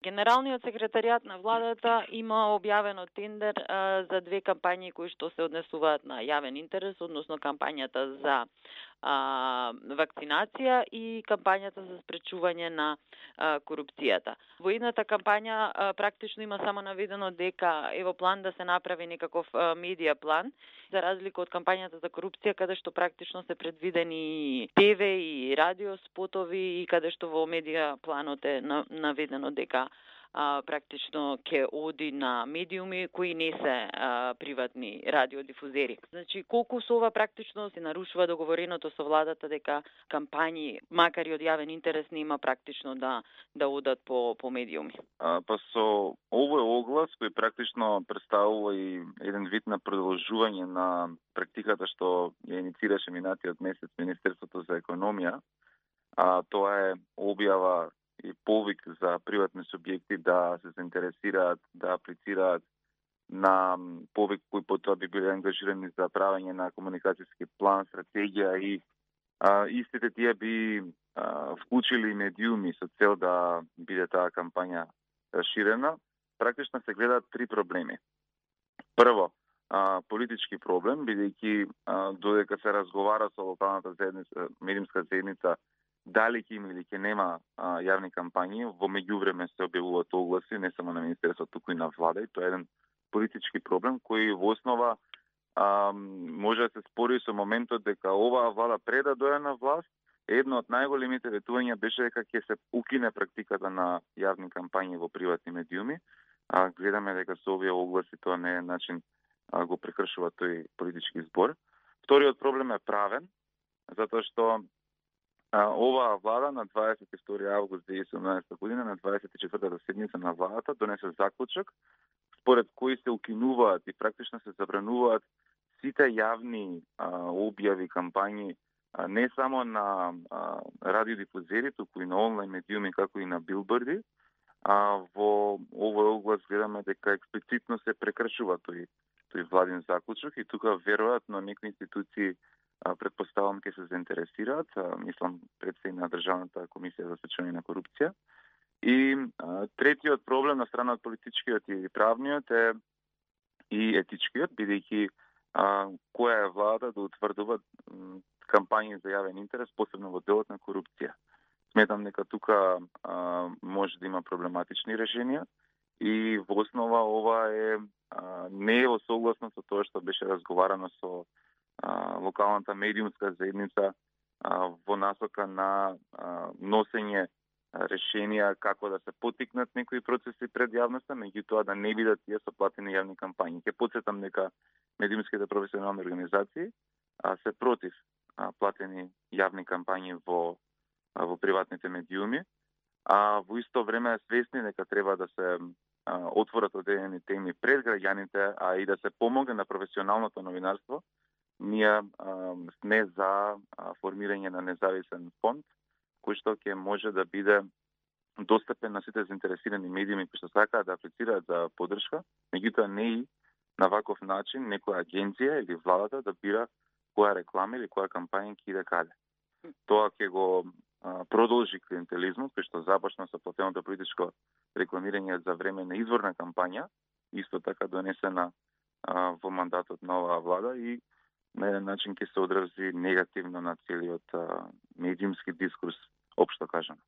Генералниот секретаријат на владата има објавено тендер за две кампањи кои што се однесуваат на јавен интерес, односно кампањата за вакцинација и кампањата за спречување на корупцијата. Во едната кампања практично има само наведено дека е во план да се направи некаков медија план, за разлика од кампањата за корупција, каде што практично се предвидени ТВ и радио спотови и каде што во медија планот е наведено дека практично ќе оди на медиуми кои не се приватни радиодифузери. Значи, колку со ова практично се нарушува договореното со владата дека кампањи, макар и од јавен интерес, нема практично да одат по медиуми. Па со овој оглас кој практично представува и еден вид на продолжување на практиката што ја иницираше минатиот месец Министерството за економија, тоа е објава и повик за приватни субјекти да се заинтересираат, да аплицираат на повик кои потоа би биле ангажирани за правење на комуникацијски план, стратегија и истите тие би вклучили медиуми со цел да биде таа кампања ширена. Практично се гледаат три проблеми. Прво, политички проблем, бидејќи додека се разговара со локалната заедница, медиумска заедница, дали ќе има или ќе нема јавни кампањи, во меѓувреме се објавуваат огласи, не само на Министерството, туку и на влада, и тоа е еден политички проблем кој во основа може да се спори со моментот дека оваа влада пред да дојде на власт, едно од најголемите ветувања беше дека ќе се укине практиката на јавни кампањи во приватни медиуми. Гледаме дека со овие огласи тоа не е начин го прекршува тој политички збор. Вториот проблем е правен, затоа што оваа влада на 22 август 2017 година, на 24-та седница на владата, донесе заклучок според кој се укинуваат и практично се забрануваат сите јавни објави, кампањи, не само на радиодифузери, туку и на онлайн медиуми, како и на билборди. Во овој оглас гледаме дека експлицитно се прекршува тој владин заклучок и тука веројатно некои институции предпоставам ќе се заинтересираат, мислам председник на Државната комисија за спречување на корупција. И третиот проблем на страна од политичкиот и правниот е и етичкиот, бидејќи која е влада да утврдува кампањи за јавен интерес, посебно во делот на корупција. Сметам дека тука може да има проблематични решенија и во основа ова не е во согласно со тоа што беше разговарано со локалната медиумска заедница во насока на носење решенија како да се поттикнат некои процеси пред јавноста, меѓутоа да не бидат тие со платени јавни кампањи. Ќе потсетам дека медиумските професионални организации се против платени јавни кампањи во приватните медиуми, во исто време свесни дека треба да се отворат одредени теми пред граѓаните, а и да се помогне на професионалното новинарство. Ние сме за формирање на независен фонд, кој што ќе може да биде достапен на сите заинтересирани медиуми кои што сакаат да аплицираат за поддршка, меѓутоа не и на ваков начин некоја агенција или владата да бира која реклама или која кампања ќе иде каде. Тоа ќе го продолжи клиентелизмот, кој што започна со платеното политичко рекламирање за време на изворна кампања, исто така донесена во мандатот на оваа влада и на еден начин ќе се одрази негативно на целиот медиумски дискурс, општо кажано.